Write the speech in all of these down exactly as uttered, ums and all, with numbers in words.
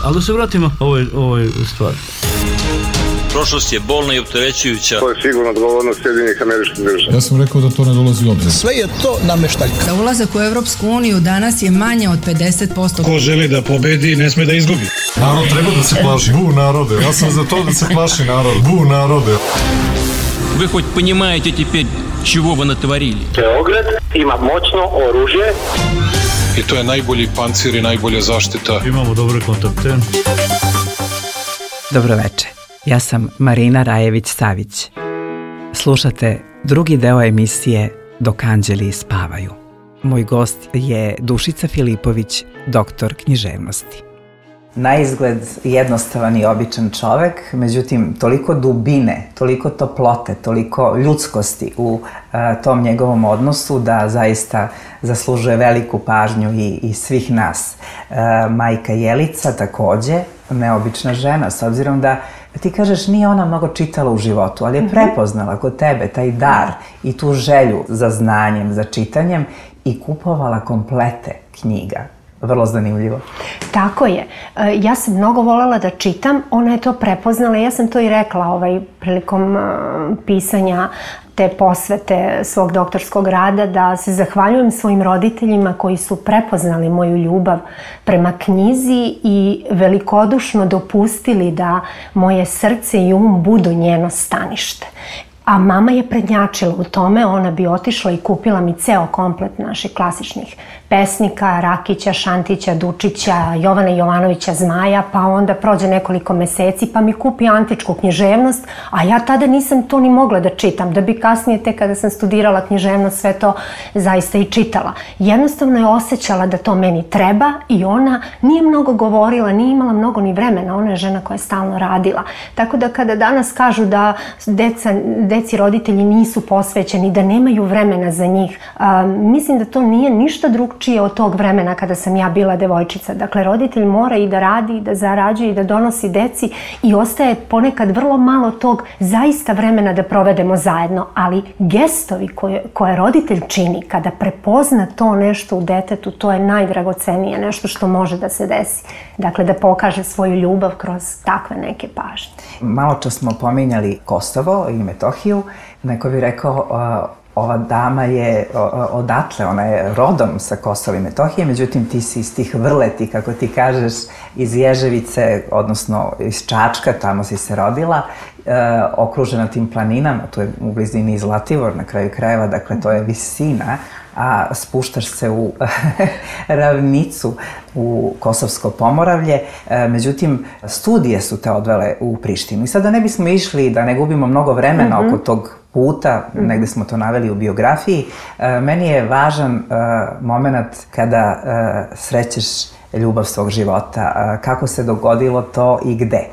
Ali da se vratimo ovoj, ovoj stvari. Prošlost je bolna i opterećujuća. To je sigurno odgovornost Sjedinjenih Američkih Država. Ja sam rekao da to ne dolazi u obzir. Sve je to nameštaljka. Za ulazak u Evropsku uniju danas je manje od pedeset posto. Ko želi da pobedi, ne sme da izgubi. Narod treba da se plaši. Bu narode. Ja sam za to da se plaši narod. Bu narode. Вы хоть понимаете теперь, чего вы натворили? Beograd ima moćno oružje. I to je najbolji pancir i najbolja zaštita. Imamo dobre kontakte. Dobro veče. Ja sam Marina Rajević-Savić. Slušate drugi deo emisije Dok anđeli spavaju. Moj gost je Dušica Filipović, doktor književnosti. Na izgled jednostavan i običan čovek, međutim toliko dubine, toliko toplote, toliko ljudskosti u a, tom njegovom odnosu da zaista zaslužuje veliku pažnju i, i svih nas. A, majka Jelica takođe, neobična žena, s obzirom da ti kažeš nije ona mnogo čitala u životu, ali je prepoznala kod tebe taj dar i tu želju za znanjem, za čitanjem i kupovala komplete knjiga. Vrlo zanimljivo. Tako je. Ja sam mnogo voljela da čitam, ona je to prepoznala, ja sam to i rekla ovaj, prilikom pisanja te posvete svog doktorskog rada, da se zahvaljujem svojim roditeljima koji su prepoznali moju ljubav prema knjizi i velikodušno dopustili da moje srce i um budu njeno stanište. A mama je prednjačila u tome, ona bi otišla i kupila mi ceo komplet naših klasičnih pesnika, Rakića, Šantića, Dučića, Jovana Jovanovića Zmaja, pa onda prođe nekoliko meseci pa mi kupi antičku književnost, a ja tada nisam to ni mogla da čitam, da bi kasnije tek kada sam studirala književnost sve to zaista i čitala. Jednostavno je osjećala da to meni treba i ona nije mnogo govorila, nije imala mnogo ni vremena, ona je žena koja je stalno radila. Tako da kada danas kažu da deca, deci roditelji nisu posvećeni, da nemaju vremena za njih, a, mislim da to nije ništa drugčije od tog vremena kada sam ja bila devojčica. Dakle, roditelj mora i da radi, i da zarađuje, i da donosi deci i ostaje ponekad vrlo malo tog zaista vremena da provedemo zajedno. Ali gestovi koje, koje roditelj čini kada prepozna to nešto u detetu, to je najdragocenije, nešto što može da se desi. Dakle, da pokaže svoju ljubav kroz takve neke pažnje. Malo čas smo pominjali Kosovo i Metohiju. Neko bi rekao, ova dama je odatle, ona je rodom sa Kosova i Metohije, međutim ti si iz tih vrleti, kako ti kažeš, iz Ježevice, odnosno iz Čačka, tamo si se rodila, e, okružena tim planinama, tu je u blizini i Zlatibor na kraju krajeva, dakle to je visina, a spuštaš se u ravnicu u Kosovsko Pomoravlje. E, međutim, studije su te odvele u Prištinu. I sada ne bismo išli da ne gubimo mnogo vremena mm-hmm. oko tog puta, mm-hmm. negde smo to naveli u biografiji. E, meni je važan e, moment kada e, srećeš ljubav svog života. E, kako se dogodilo to i gde?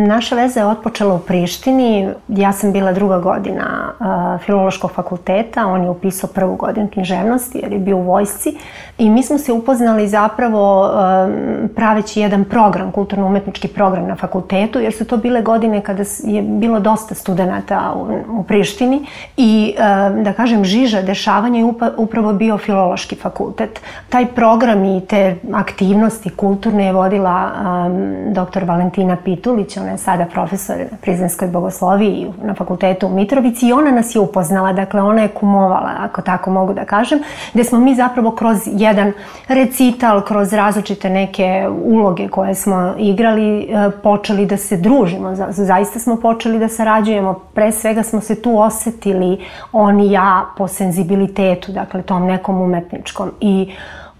Naša veza je otpočela u Prištini. Ja sam bila druga godina uh, Filološkog fakulteta, on je upisao prvu godinu književnosti jer je bio u vojsci i mi smo se upoznali zapravo um, praveći jedan program, kulturno-umetnički program na fakultetu, jer su to bile godine kada je bilo dosta studenata u, u Prištini i um, da kažem žiža dešavanja je upa, upravo bio Filološki fakultet. Taj program i te aktivnosti kulturne je vodila um, doktor Valentina Pitulić. Ona je sada profesor na Prizrenskoj bogosloviji na fakultetu u Mitrovici i ona nas je upoznala, dakle ona je kumovala, ako tako mogu da kažem, gde smo mi zapravo kroz jedan recital, kroz različite neke uloge koje smo igrali, počeli da se družimo. Zaista smo počeli da sarađujemo, pre svega smo se tu osetili on i ja po senzibilitetu, dakle tom nekom umetničkom i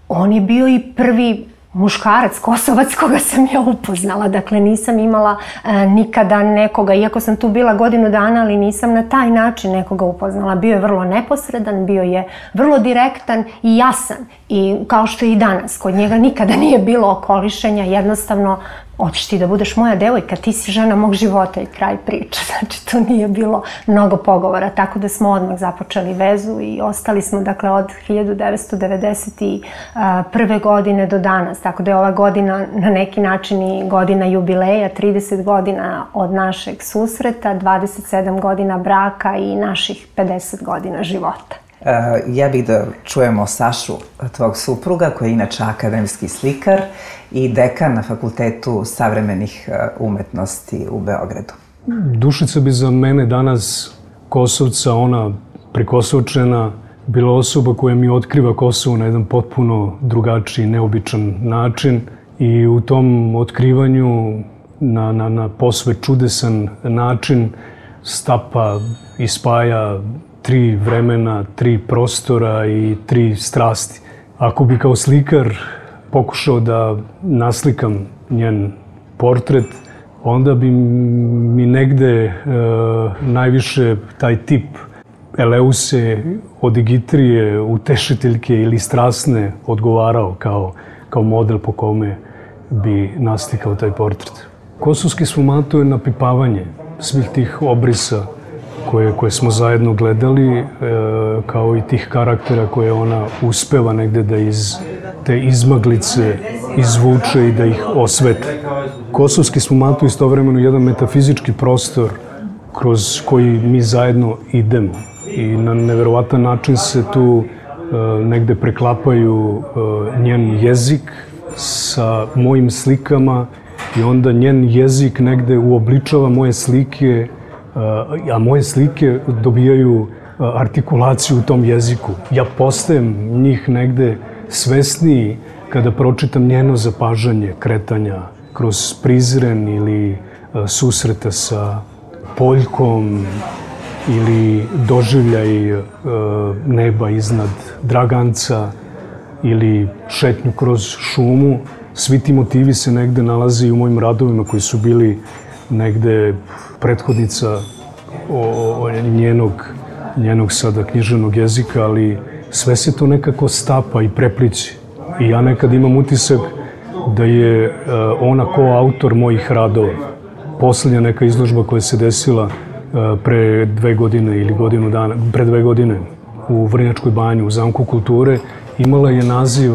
on je bio i prvi muškarac, Kosovac koga sam ja upoznala. Dakle, nisam imala e, nikada nekoga, iako sam tu bila godinu dana, ali nisam na taj način nekoga upoznala. Bio je vrlo neposredan, bio je vrlo direktan i jasan. I kao što je i danas, kod njega nikada nije bilo okolišenja, jednostavno hoćeš ti da budeš moja devojka, ti si žena mog života i kraj priče. Znači, to nije bilo mnogo pogovora, tako da smo odmah započeli vezu i ostali smo, dakle, od hiljadu devetsto devedeset prve. godine do danas. Tako da je ova godina na neki način i godina jubileja, trideset godina od našeg susreta, dvadeset sedam godina braka i naših pedeset godina života. Ja bih da čujemo Sašu, tvog supruga, koji je inače akademski slikar i dekan na Fakultetu savremenih umetnosti u Beogradu. Dušica bi za mene danas, Kosovca, ona prikosovčena, bila osoba koja mi otkriva Kosovo na jedan potpuno drugačiji, neobičan način i u tom otkrivanju na, na, na posve čudesan način stapa i spaja tri vremena, tri prostora i tri strasti. Ako bi kao slikar pokušao da naslikam njen portret, onda bi mi negde e, najviše taj tip Eleuse, odigitrije, utešiteljke ili strasne odgovarao kao, kao model po kome bi naslikao taj portret. Kosovski sfumato je napipavanje svih tih obrisa koje, koje smo zajedno gledali, e, kao i tih karaktera koje ona uspeva negde da iz te izmaglice izvuče i da ih osvetli. Kosovski sfumato je istovremeno jedan metafizički prostor kroz koji mi zajedno idemo i na neverovatan način se tu e, negde preklapaju e, njen jezik sa mojim slikama i onda njen jezik negde uobličava moje slike, a moje slike dobijaju artikulaciju u tom jeziku. Ja postajem njih negde svesniji kada pročitam njeno zapažanje kretanja kroz prizren ili susreta sa Poljkom ili doživljaj neba iznad Draganca ili šetnju kroz šumu. Svi ti motivi se negde nalaze i u mojim radovima koji su bili negde prethodnica o, o njenog, njenog sada književnog jezika, ali sve se to nekako stapa i prepliće. I ja nekad imam utisak da je uh, ona koautor mojih radova. Poslednja neka izložba koja se desila uh, pre dve godine ili godinu dana, pre dve godine u Vrnjačkoj banji, u Zamku kulture, imala je naziv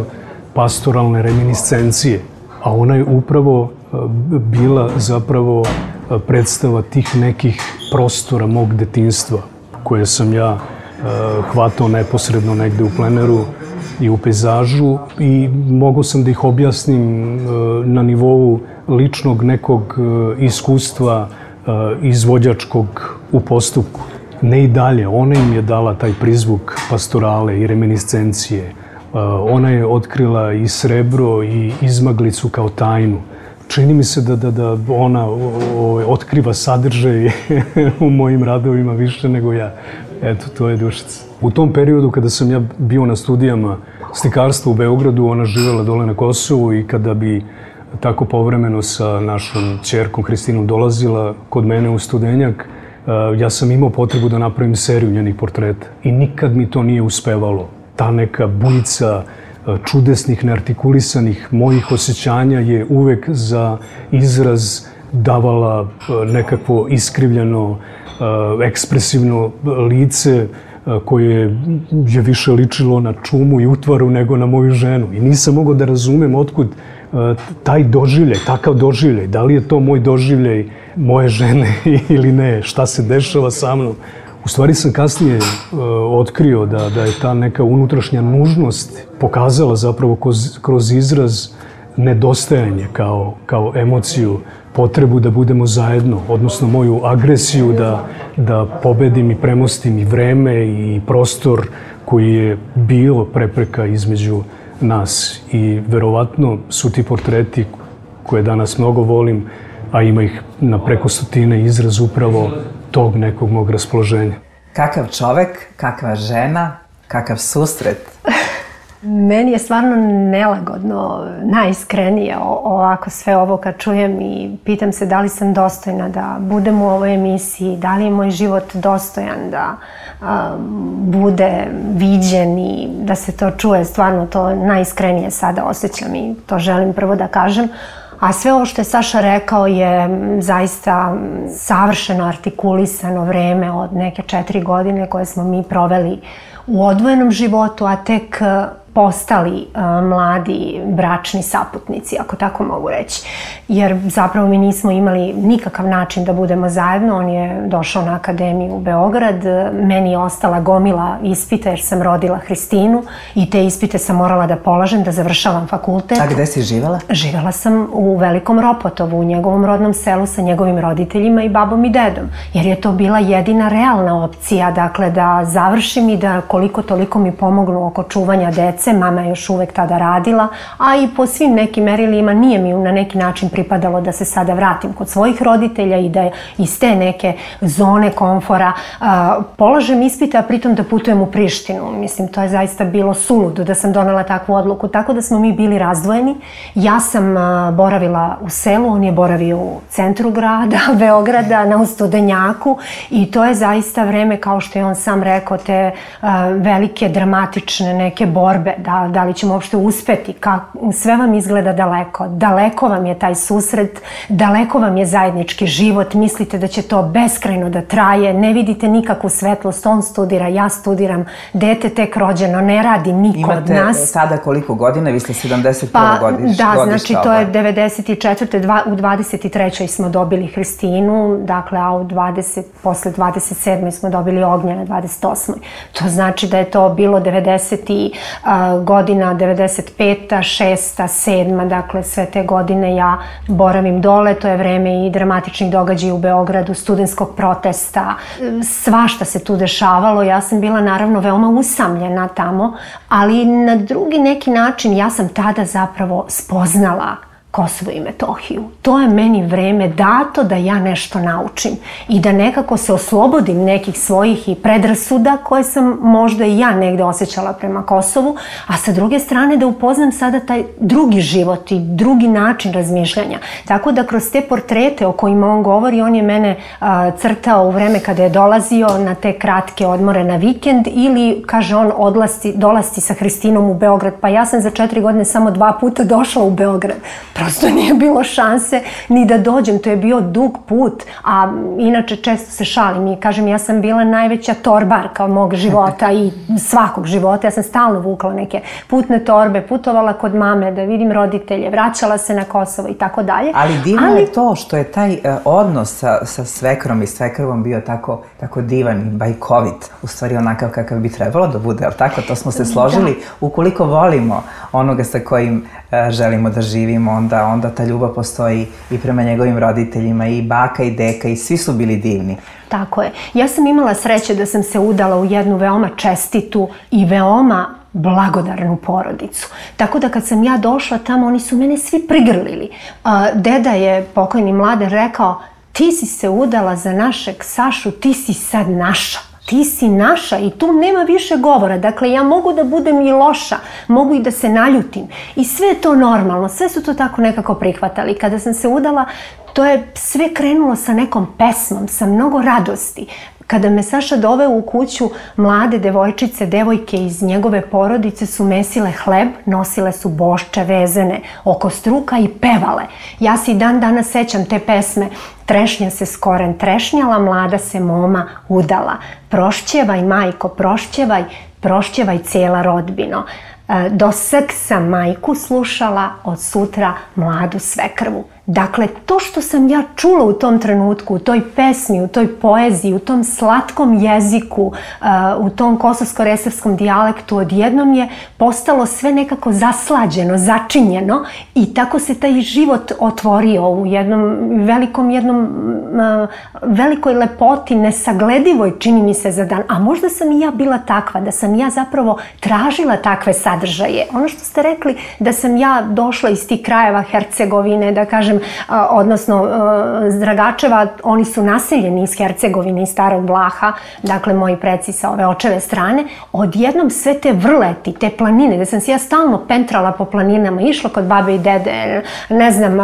Pastoralne reminiscencije, a ona je upravo uh, bila zapravo uh, predstava tih nekih prostora mog detinjstva, koje sam ja uh, hvatao neposredno negde u pleneru i u pejzažu i mogao sam da ih objasnim na nivou ličnog nekog iskustva izvođačkog u postupku. Ne i dalje, ona im je dala taj prizvuk pastorale i reminiscencije. Ona je otkrila i srebro i izmaglicu kao tajnu. Čini mi se da, da, da ona o, o, otkriva sadržaj u mojim radovima više nego ja. Eto, to je Dušica. U tom periodu kada sam ja bio na studijama slikarstva u Beogradu, ona živela dole na Kosovu i kada bi tako povremeno sa našom ćerkom Hristinom dolazila kod mene u Studenjak, ja sam imao potrebu da napravim seriju njenih portreta i nikad mi to nije uspevalo. Ta neka bujica čudesnih, neartikulisanih mojih osjećanja je uvek za izraz davala nekakvo iskrivljeno, ekspresivno lice koje je više ličilo na čumu i utvaru nego na moju ženu. I nisam mogao da razumem otkud taj doživljaj, takav doživljaj. Da li je to moj doživljaj moje žene ili ne, šta se dešava sa mnom. U stvari sam kasnije uh, otkrio da, da je ta neka unutrašnja nužnost pokazala zapravo kroz, kroz izraz nedostajanje kao, kao emociju, potrebu da budemo zajedno, odnosno moju agresiju da, da pobedim i premostim i vreme i prostor koji je bilo prepreka između nas. I verovatno su ti portreti koje danas mnogo volim, a ima ih na preko stotine, izraz upravo tog nekog mog raspoloženja. Kakav čovek, kakva žena, kakav susret? Meni je stvarno nelagodno, najiskrenije ovako sve ovo kad čujem i pitam se da li sam dostojna da budem u ovoj emisiji, da li je moj život dostojan da a, bude viđen i da se to čuje. Stvarno to najiskrenije sada osjećam i to želim prvo da kažem. A sve ovo što je Saša rekao je zaista savršeno artikulisano vreme od neke četiri godine koje smo mi proveli u odvojenom životu, a tek postali mladi bračni saputnici, ako tako mogu reći. Jer zapravo mi nismo imali nikakav način da budemo zajedno. On je došao na akademiju u Beograd, meni je ostala gomila ispita jer sam rodila Hristinu i te ispite sam morala da polažem, da završavam fakultet. A gde si živela? Živela sam u Velikom Ropotovu, u njegovom rodnom selu sa njegovim roditeljima i babom i dedom, jer je to bila jedina realna opcija, dakle da završim i da koliko toliko mi pomognu oko čuvanja dece. Mama je još uvek tada radila, a i po svim nekim merilima nije mi na neki način pripadalo da se sada vratim kod svojih roditelja i da iz te neke zone komfora polažem ispite, a pritom da putujem u Prištinu. Mislim, to je zaista bilo suludo da sam donela takvu odluku, tako da smo mi bili razdvojeni. Ja sam boravila u selu, on je boravio u centru grada, Beograda, na Studenjaku, i to je zaista vreme, kao što je on sam rekao, te velike dramatične neke borbe, da, da li ćemo uopšte uspeti, ka, sve vam izgleda daleko, daleko vam je taj susret, daleko vam je zajednički život, mislite da će to beskrajno da traje, ne vidite nikakvu svetlost, on studira, ja studiram, dete tek rođeno, ne radi niko od nas. Imate sada koliko godina? Vi ste sedamdeset prve Pa, godiš, da, godišta znači to je devedeset četvrte. Dva, u dvadeset trećoj smo dobili Hristinu, dakle, a u dvadeset, posle dvadeset sedme smo dobili Ognjena, dvadeset osmoj. To znači da je to bilo devedeset godina, devedeset peta, šesta, sedma, dakle, sve te godine ja boravim dole, to je vreme i dramatičnih događaja u Beogradu, studentskog protesta, svašta se tu dešavalo, ja sam bila naravno veoma usamljena tamo, ali na drugi neki način ja sam tada zapravo spoznala Kosovo i Metohiju. To je meni vreme dato da ja nešto naučim i da nekako se oslobodim nekih svojih i predrasuda koje sam možda i ja negde osjećala prema Kosovu, a sa druge strane da upoznam sada taj drugi život i drugi način razmišljanja. Tako da kroz te portrete o kojima on govori, on je mene a, crtao u vreme kada je dolazio na te kratke odmore na vikend ili, kaže on, odlasti, dolasti sa Hristinom u Beograd. Pa ja sam za četiri godine samo dva puta došla u Beograd. Prosto nije bilo šanse ni da dođem, to je bio dug put, a inače često se šalim i kažem ja sam bila najveća torbarka mog života i svakog života, ja sam stalno vukla neke putne torbe, putovala kod mame da vidim roditelje, vraćala se na Kosovo i tako dalje. Ali divno Ali... je to što je taj uh, odnos sa, sa svekrom i svekrvom bio tako, tako divan i bajkovit, u stvari onakav kakav bi trebalo da bude, ali tako, to smo se složili. Da. Ukoliko volimo onoga sa kojim uh, želimo da živimo, onda Da, onda ta ljubav postoji i prema njegovim roditeljima, i baka i deka, i svi su bili divni. Tako je. Ja sam imala sreće da sam se udala u jednu veoma čestitu i veoma blagodarnu porodicu. Tako da kad sam ja došla tamo, oni su mene svi prigrlili. Deda je, pokojni Mladen, rekao, ti si se udala za našeg Sašu, ti si sad naša. Ti si naša i tu nema više govora. Dakle, ja mogu da budem i loša, mogu i da se naljutim. I sve je to normalno, sve su to tako nekako prihvatali. Kada sam se udala, to je sve krenulo sa nekom pesmom, sa mnogo radosti. Kada me Saša doveo u kuću, mlade devojčice, devojke iz njegove porodice su mesile hleb, nosile su bošče vezene oko struka i pevale. Ja se i dan danas sećam te pesme. Trešnja se skoren trešnjala, mlada se moma udala. Prošćevaj, majko, prošćevaj, prošćevaj cijela rodbino. Do srk sam majku slušala, od sutra mladu svekrvu. Dakle, to što sam ja čula u tom trenutku, u toj pesmi, u toj poeziji, u tom slatkom jeziku, u tom kosovsko-resavskom dijalektu, odjednom je postalo sve nekako zaslađeno, začinjeno i tako se taj život otvorio u jednom velikom, jednom velikoj lepoti, nesagledivoj, čini mi se za dan. A možda sam i ja bila takva, da sam ja zapravo tražila takve sadržaje. Ono što ste rekli, da sam ja došla iz tih krajeva Hercegovine, da kažem, odnosno Dragačeva, oni su naseljeni iz Hercegovine i Starog Vlaha, dakle moji preci sa ove očeve strane, odjednom sve te vrleti, te planine, da sam se ja stalno pentrala po planinama, išla kod babe i dede, ne znam,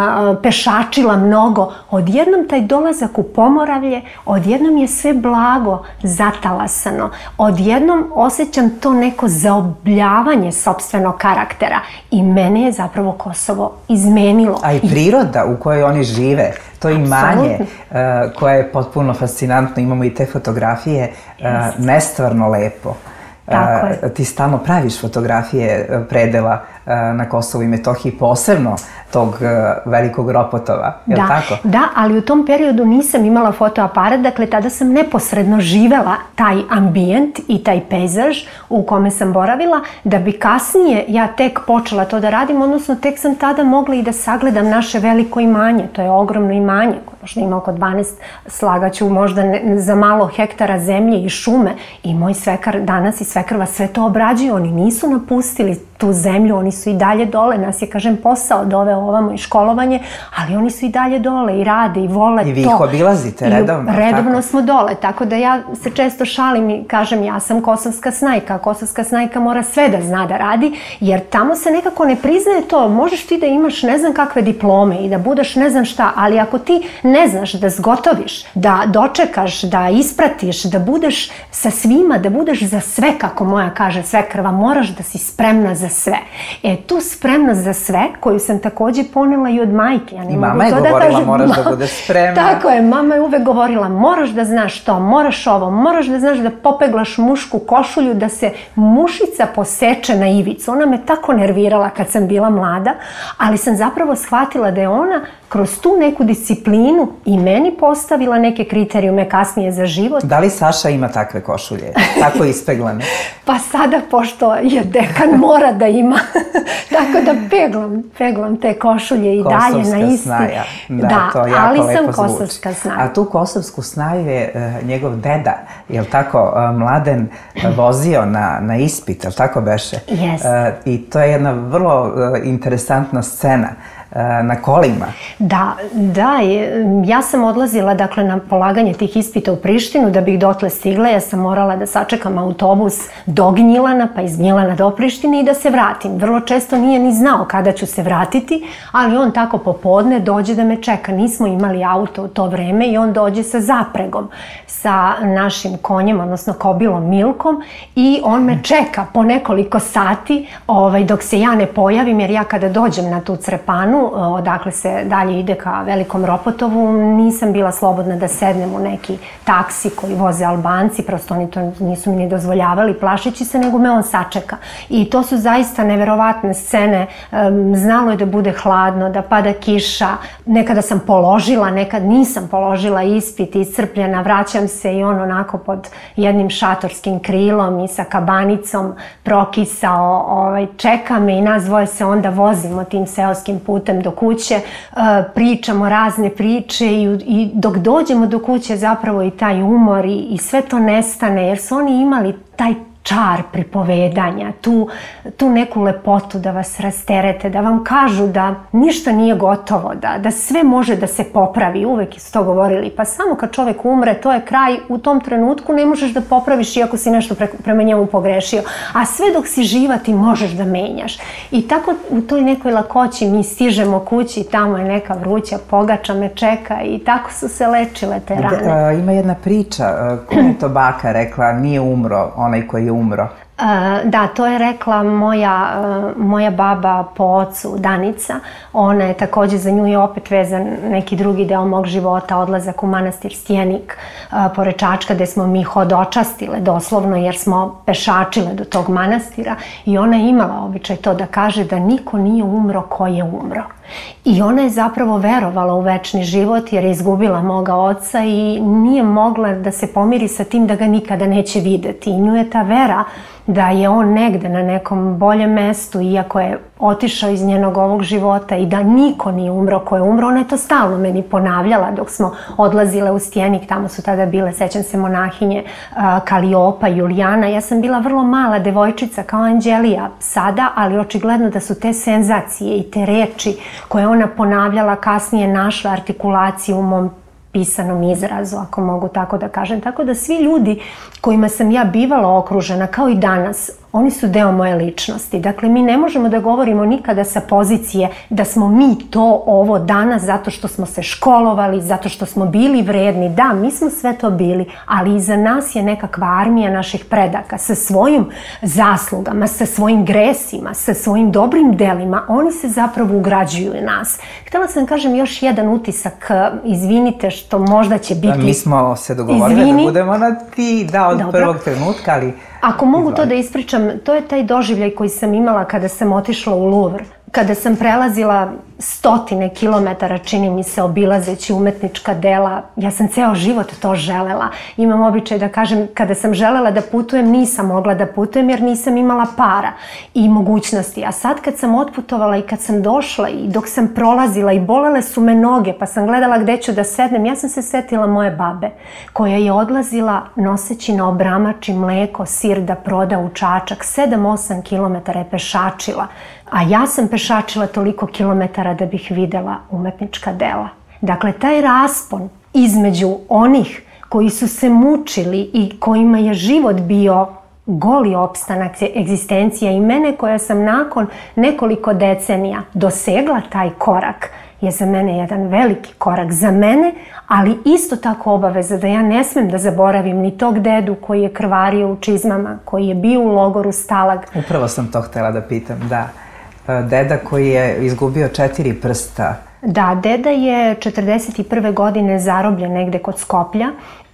pešačila mnogo, odjednom taj dolazak u Pomoravlje, odjednom je sve blago zatalasano, odjednom osjećam to neko zaobljavanje sopstvenog karaktera i mene je zapravo Kosovo izmenilo. A i priroda u kojoj oni žive, to imanje uh, koje je potpuno fascinantno, imamo i te fotografije, uh, nestvarno lepo. Uh, Tako je. Ti stalno praviš fotografije predela na Kosovu i Metohiji, posebno tog velikog Ropotova, je li da, tako? Da, ali u tom periodu nisam imala fotoaparat, dakle tada sam neposredno živela taj ambijent i taj pejzaž u kome sam boravila, da bi kasnije ja tek počela to da radim, odnosno tek sam tada mogla i da sagledam naše veliko imanje, to je ogromno imanje, koje možda ima oko dvanaest, slagaću možda ne, za malo hektara zemlje i šume, i moj svekar danas i svekrva sve to obrađuju, oni nisu napustili tu zemlju, oni su i dalje dole, nas je, kažem, posao doveo ovamo i školovanje, ali oni su i dalje dole i rade i vole to. I vi ih obilazite redovno? I redovno smo dole, tako da ja se često šalim i kažem ja sam kosovska snajka, kosovska snajka mora sve da zna da radi, jer tamo se nekako ne priznaje to, možeš ti da imaš ne znam kakve diplome i da budeš ne znam šta, ali ako ti ne znaš da zgotoviš, da dočekaš, da ispratiš, da budeš sa svima, da budeš za sve, kako moja kaže svekrva, moraš da si spremna za sve. E, tu spremnost za sve, koju sam takođe ponela i od majke. Ja ne I mama je govorila, da kažem, moraš da budeš spremna. Tako je, mama je uvek govorila, moraš da znaš to, moraš ovo, moraš da znaš da popeglaš mušku košulju, da se mušica poseče na ivicu. Ona me tako nervirala kad sam bila mlada, ali sam zapravo shvatila da je ona kroz tu neku disciplinu i meni postavila neke kriterijume kasnije za život. Da li Saša ima takve košulje, tako ispeglane? Pa sada, pošto je dekan, mora da ima. Tako da peglam, peglam te košulje i dalje na isti. Kosovska snaja. Da, da, to jako ali lepo sam zvuči. kosovska snaja. A tu kosovsku snaju je uh, njegov deda, je li tako, uh, Mladen uh, vozio na, na ispit, je li tako beše? Yes. Uh, I to je jedna vrlo uh, interesantna scena na kolima. Da, da, ja sam odlazila dakle na polaganje tih ispita u Prištinu, da bih dotle stigla, ja sam morala da sačekam autobus do Gnjilana, pa iz Gnjilana do Prištine i da se vratim. Vrlo često nije ni znao kada ću se vratiti, ali on tako popodne dođe da me čeka. Nismo imali auto u to vreme i on dođe sa zapregom, sa našim konjem, odnosno kobilom Milkom, i on me čeka po nekoliko sati ovaj, dok se ja ne pojavim, jer ja kada dođem na tu Crepanu, odakle se dalje ide ka Velikom Ropotovu, nisam bila slobodna da sednem u neki taksi koji voze Albanci, prosto oni to nisu mi ni dozvoljavali plašeći se, nego me on sačeka. I to su zaista neverovatne scene. Znalo je da bude hladno, da pada kiša, nekada sam položila, nekad nisam položila ispit, iscrpljena, vraćam se i on onako pod jednim šatorskim krilom i sa kabanicom prokisao, ovaj, čeka me i nas dvoje se onda vozimo tim seoskim putem do kuće, pričamo razne priče i, i dok dođemo do kuće zapravo i taj umor i, i sve to nestane, jer su oni imali taj čar pripovedanja, tu, tu neku lepotu da vas rasterete, da vam kažu da ništa nije gotovo, da, da sve može da se popravi. Uvek su to govorili, pa samo kad čovek umre, to je kraj, u tom trenutku ne možeš da popraviš iako si nešto pre, prema njemu pogrešio, a sve dok si živa ti možeš da menjaš. I tako u toj nekoj lakoći mi stižemo kući, tamo je neka vruća pogača me čeka i tako su se lečile te rane. Da, a, ima jedna priča, koja je to baka rekla, nije umro onaj koji je umro. Da, to je rekla moja, moja baba po ocu, Danica. Ona je takođe, za nju je opet vezan neki drugi deo mog života, odlazak u manastir Stjenik pored Čačka, gde smo mi hodočastile doslovno, jer smo pešačile do tog manastira, i ona je imala običaj to da kaže da niko nije umro ko je umro. I ona je zapravo verovala u večni život, jer je izgubila moga oca i nije mogla da se pomiri sa tim da ga nikada neće videti. I nju je ta vera da je on negde na nekom boljem mestu, iako je otišao iz njenog ovog života, i da niko nije umro ko je umro. Ona je to stalno meni ponavljala dok smo odlazile u Stjenik. Tamo su tada bile, sećam se, monahinje Kaliopa, Julijana. Ja sam bila vrlo mala devojčica kao Anđelija sada, ali očigledno da su te senzacije i te reči koje ona ponavljala kasnije našle artikulaciju u mom pisanom izrazu, ako mogu tako da kažem. Tako da svi ljudi kojima sam ja bivala okružena, kao i danas, oni su deo moje ličnosti. Dakle, mi ne možemo da govorimo nikada sa pozicije da smo mi to ovo danas zato što smo se školovali, zato što smo bili vredni. Da, mi smo sve to bili, ali iza nas je nekakva armija naših predaka sa svojim zaslugama, sa svojim gresima, sa svojim dobrim delima. Oni se zapravo ugrađuju u nas. Htela sam kažem još jedan utisak, izvinite što možda će biti... Mi smo se dogovorili da budemo na ti, da, od prvog trenutka, ali Ako mogu to da ispričam, to je taj doživljaj koji sam imala kada sam otišla u Louvre. Kada sam prelazila stotine kilometara, čini mi se, obilazeći umetnička dela, ja sam ceo život to želela. Imam običaj da kažem, kada sam želela da putujem, nisam mogla da putujem jer nisam imala para i mogućnosti. A sad kad sam otputovala i kad sam došla i dok sam prolazila i bolele su me noge, pa sam gledala gde ću da sednem, ja sam se setila moje babe, koja je odlazila noseći na obramači mleko, sir da proda u Čačak, sedam osam kilometara je pešačila. A ja sam pešačila toliko kilometara da bih videla umetnička dela. Dakle, taj raspon između onih koji su se mučili i kojima je život bio goli opstanak, egzistencija, i mene koja sam nakon nekoliko decenija dosegla taj korak, je za mene jedan veliki korak za mene, ali isto tako obaveza da ja ne smem da zaboravim ni tog dedu koji je krvario u čizmama, koji je bio u logoru Stalag. Upravo sam to htela da pitam, da. Deda koji je izgubio četiri prsta. Da, deda je četrdeset prve godine zarobljen negde kod Skoplja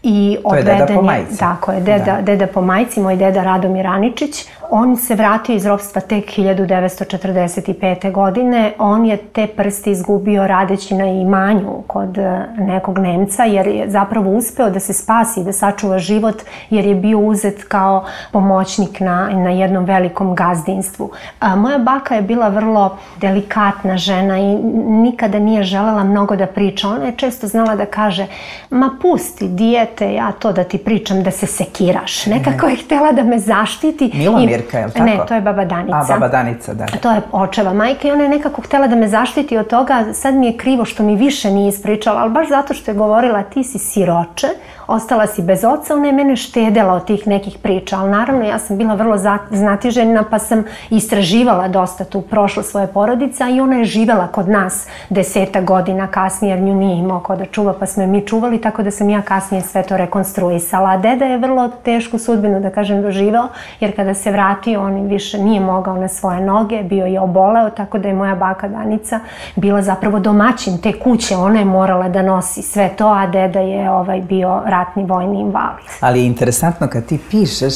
i to je deda po majci. Tako je, deda, da. deda po majci, moj deda Radomir Aničić. On se vratio iz ropstva tek hiljadu devetsto četrdeset pete. godine. On je te prste izgubio radeći na imanju kod nekog Nemca, jer je zapravo uspeo da se spasi i da sačuva život, jer je bio uzet kao pomoćnik na, na jednom velikom gazdinstvu. A, moja baka je bila vrlo delikatna žena i nikada nije želela mnogo da priča. Ona je često znala da kaže, ma pusti dijete, ja to da ti pričam, da se sekiraš. Nekako je htjela da me zaštiti. Milomir. Mirka, je li tako? Ne, to je baba Danica. A, baba Danica, da. To je očeva majka i ona je nekako htjela da me zaštiti od toga. Sad mi je krivo što mi više nije ispričala, ali baš zato što je govorila ti si siroče, ostala si bez oca, ona je mene štedela od tih nekih priča, ali naravno ja sam bila vrlo znatiželjna pa sam istraživala dosta tu prošlost svoje porodice, i ona je živela kod nas deseta godina kasnije, jer nju nije imao ko da čuva, pa smo je mi čuvali, tako da sam ja kasnije sve to rekonstruisala. A deda je vrlo tešku sudbinu, da kažem, doživeo, jer kada se vratio, on više nije mogao na svoje noge, bio je oboleo, tako da je moja baka Danica bila zapravo domaćin te kuće, ona je morala da nosi sve to, a deda je ovaj, bio ratni vojni invalid. Ali je interesantno kad ti pišeš,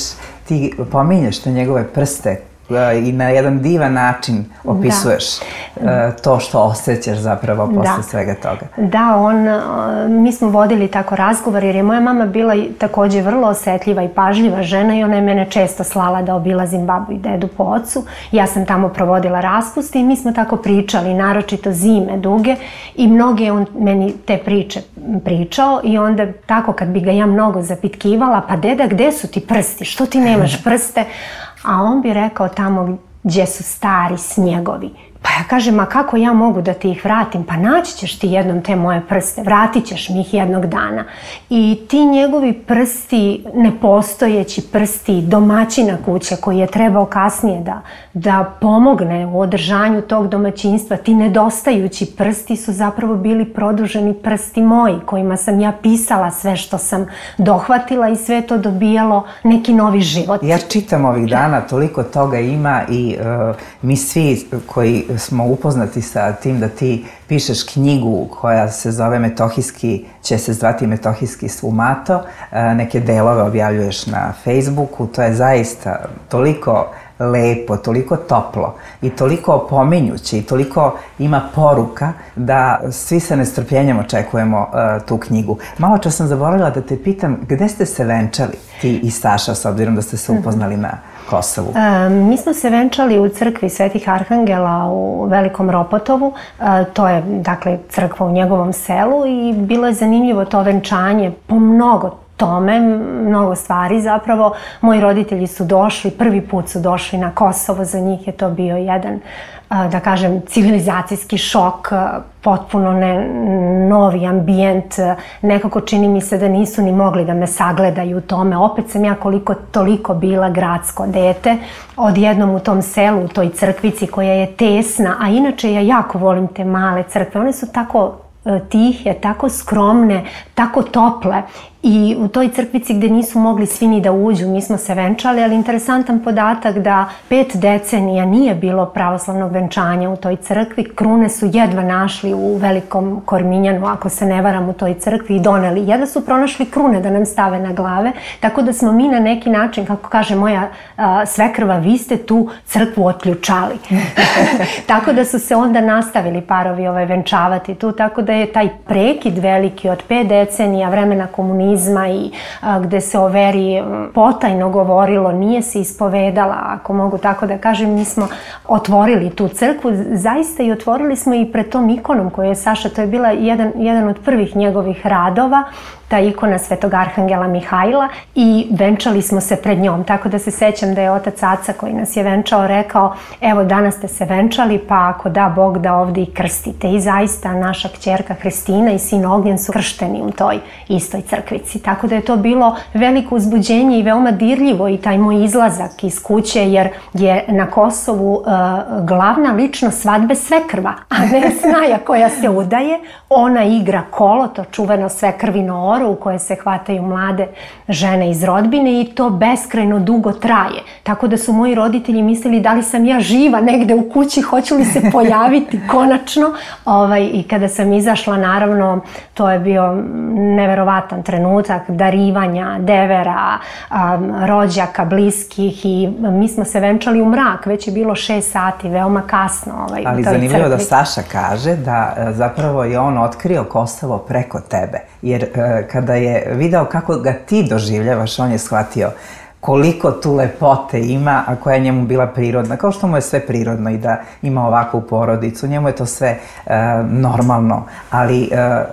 ti pominješ te njegove prste i na jedan divan način opisuješ da. to što osjećaš zapravo posle da. svega toga. Da, on, mi smo vodili tako razgovor jer je moja mama bila takođe vrlo osetljiva i pažljiva žena i ona je mene često slala da obilazim babu i dedu po ocu. Ja sam tamo provodila raspuste i mi smo tako pričali, naročito zime duge, i mnoge je on meni te priče pričao i onda tako kad bi ga ja mnogo zapitkivala, pa deda, gde su ti prsti, što ti nemaš prste? A on bi rekao tamo gdje su stari snjegovi. Pa ja kažem, a kako ja mogu da ti ih vratim? Pa naći ćeš ti jednom te moje prste, vratit ćeš mi ih jednog dana. I ti njegovi prsti, nepostojeći prsti domaćina kuće koji je trebao kasnije da, da pomogne u održanju tog domaćinstva, ti nedostajući prsti su zapravo bili produženi prsti moji, kojima sam ja pisala sve što sam dohvatila i sve to dobijalo neki novi život. Ja čitam ovih dana, toliko toga ima i uh, mi svi koji smo upoznati sa tim da ti pišeš knjigu koja se zove Metohijski, će se zvati Metohijski svumato, neke delove objavljuješ na Facebooku, to je zaista toliko lepo, toliko toplo i toliko opominjuće i toliko ima poruka da svi sa nestrpljenjem očekujemo uh, tu knjigu. Malo čas sam zaboravila da te pitam, gde ste se venčali ti i Saša, s obzirom da ste se upoznali na Kosovu? E, mi smo se venčali u crkvi Svetih Arhangela u Velikom Ropotovu. E, to je, dakle, crkva u njegovom selu i bilo je zanimljivo to venčanje po mnogo tome, mnogo stvari zapravo. Moji roditelji su došli, prvi put su došli na Kosovo, za njih je to bio jedan, da kažem, civilizacijski šok, potpuno ne, novi ambijent, nekako čini mi se da nisu ni mogli da me sagledaju u tome. Opet sam ja koliko toliko bila gradsko dete, odjednom u tom selu, u toj crkvici koja je tesna, a inače ja jako volim te male crkve, one su tako tihe, tako skromne, tako tople i u toj crkvici gde nisu mogli svi ni da uđu, mi smo se venčali, ali interesantan podatak da pet decenija nije bilo pravoslavnog venčanja u toj crkvi. Krune su jedva našli u Velikom Korminjanu, ako se ne varam, u toj crkvi i doneli. Jedva su pronašli krune da nam stave na glave, tako da smo mi na neki način, kako kaže moja a, svekrva, vi ste tu crkvu otključali. Tako da su se onda nastavili parovi ovaj, venčavati tu, tako da je taj prekid veliki od pet decenija vremena komunizma i a, gde se o veri potajno govorilo, nije se ispovedala, ako mogu tako da kažem, mi smo otvorili tu crkvu, zaista i otvorili smo i pred tom ikonom koju je Saša, to je bila jedan, jedan od prvih njegovih radova, ta ikona Svetog Arhangela Mihajla, i venčali smo se pred njom. Tako da se sećam da je otac Aca koji nas je venčao rekao, evo danas ste se venčali, pa ako da Bog da ovdje i krstite. I zaista naša kćerka Hristina i sin Ognjen su kršteni u toj istoj crkvici. Tako da je to bilo veliko uzbuđenje i veoma dirljivo i taj moj izlazak iz kuće, jer je na Kosovu uh, glavna ličnost svadbe svekrva, a ne snaja koja se udaje. Ona igra kolo, to čuveno svekrvino oro u koje se hvataju mlade žene iz rodbine, i to beskrajno dugo traje. Tako da su moji roditelji mislili da li sam ja živa negde u kući, hoću li se pojaviti konačno. Ovaj, I kada sam izašla, naravno, to je bio neverovatan trenutak darivanja, devera, um, rođaka, bliskih, i mi smo se venčali u mrak, već je bilo šest sati, veoma kasno. Ovaj, Ali zanimljivo da Saša kaže da zapravo je on otkrio Kosovo preko tebe, jer kada je video kako ga ti doživljavaš, on je shvatio koliko tu lepote ima, a koja je njemu bila prirodna, kao što mu je sve prirodno i da ima ovakvu porodicu, njemu je to sve e, normalno, ali e,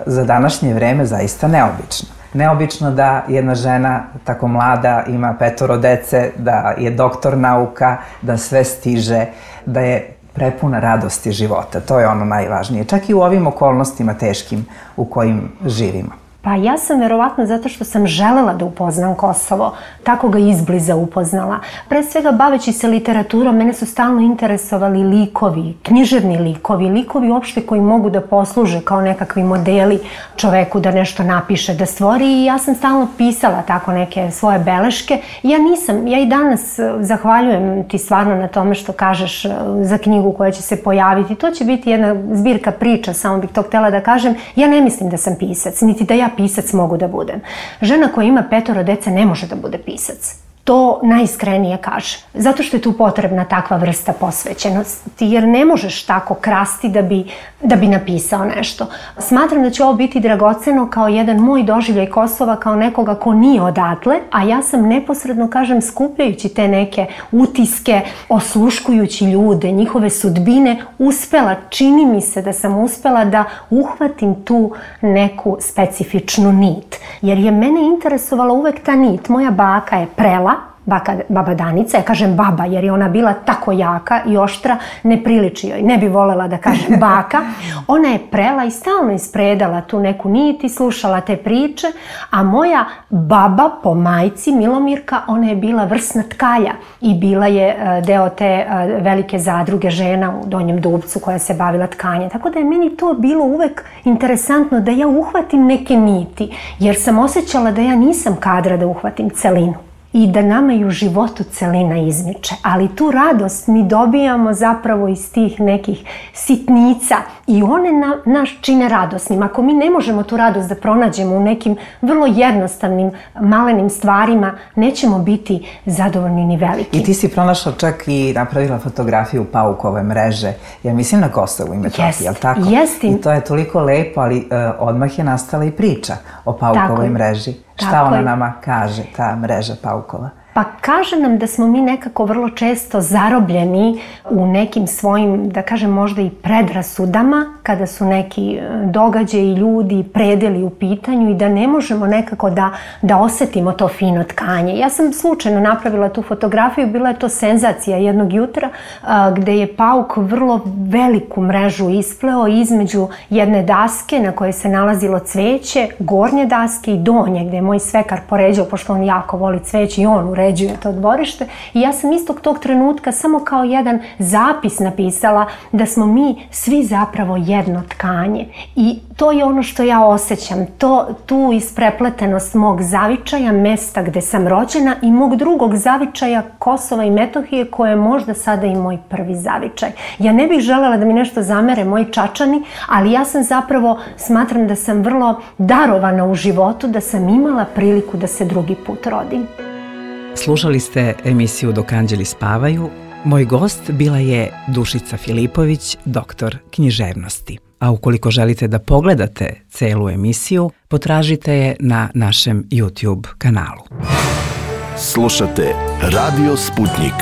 za današnje vreme zaista neobično. Neobično da jedna žena tako mlada ima petoro dece, da je doktor nauka, da sve stiže, da je prepuna radosti života. To je ono najvažnije, čak i u ovim okolnostima teškim u kojim živimo. Pa ja sam verovatno zato što sam želela da upoznam Kosovo, tako ga izbliza upoznala. Pre svega baveći se literaturom, mene su stalno interesovali likovi, književni likovi, likovi uopšte koji mogu da posluže kao nekakvi modeli čoveku da nešto napiše, da stvori, i ja sam stalno pisala tako neke svoje beleške. Ja nisam, ja i danas zahvaljujem ti stvarno na tome što kažeš za knjigu koja će se pojaviti. To će biti jedna zbirka priča, samo bih to htjela da kažem. Ja ne mislim da sam pisac, niti da ja pisac mogu da budem. Žena koja ima petoro dece ne može da bude pisac. To najiskrenije kaže. Zato što je tu potrebna takva vrsta posvećenosti, jer ne možeš tako krasti da bi, da bi napisao nešto. Smatram da će ovo biti dragoceno kao jedan moj doživljaj Kosova, kao nekoga ko nije odatle, a ja sam neposredno, kažem, skupljajući te neke utiske, osluškujući ljude, njihove sudbine, uspela, čini mi se da sam uspela da uhvatim tu neku specifičnu nit. Jer je mene interesovala uvek ta nit. Moja baka je prela, Baka, baba Danica, ja kažem baba jer je ona bila tako jaka i oštra, ne priliči joj, ne bi volela da kažem baka. Ona je prela i stalno ispredala tu neku nit i slušala te priče, a moja baba po majci, Milomirka, ona je bila vrsna tkalja i bila je deo te velike zadruge žena u Donjem Dubcu koja se bavila tkanjem. Tako da je meni to bilo uvek interesantno da ja uhvatim neke niti, jer sam osjećala da ja nisam kadra da uhvatim celinu i da nama i u životu celina izmiče. Ali tu radost mi dobijamo zapravo iz tih nekih sitnica i one na, naš čine radosnim. Ako mi ne možemo tu radost da pronađemo u nekim vrlo jednostavnim, malenim stvarima, nećemo biti zadovoljni ni veliki. I ti si pronašla čak i napravila fotografiju paukove mreže, ja mislim na Kosovu i Metohiji, je li tako? Jestim. I to je toliko lepo, ali uh, odmah je nastala i priča o paukovoj mreži. Šta Tako ona je. nama kaže, ta mreža paukova? Pa kaže nam da smo mi nekako vrlo često zarobljeni u nekim svojim, da kažem možda i predrasudama, kada su neki događaji, ljudi, predeli u pitanju i da ne možemo nekako da, da osetimo to fino tkanje. Ja sam slučajno napravila tu fotografiju, bila je to senzacija jednog jutra a, gde je pauk vrlo veliku mrežu ispleo između jedne daske na kojoj se nalazilo cveće, gornje daske i donje, gde je moj svekar poređao, pošto on jako voli cveće i on uređuje to dvorište. I ja sam istog tog trenutka samo kao jedan zapis napisala da smo mi svi zapravo jedni jedno tkanje. I to je ono što ja osjećam, to, tu isprepletenost mog zavičaja, mesta gde sam rođena i mog drugog zavičaja Kosova i Metohije, koje je možda sada i moj prvi zavičaj. Ja ne bih želela da mi nešto zamere moji Čačani, ali ja sam zapravo, smatram da sam vrlo darovana u životu, da sam imala priliku da se drugi put rodim. Slušali ste emisiju Dok anđeli spavaju. Moj gost bila je Dušica Filipović, doktor književnosti. A ukoliko želite da pogledate celu emisiju, potražite je na našem YouTube kanalu. Slušate Radio Sputnik.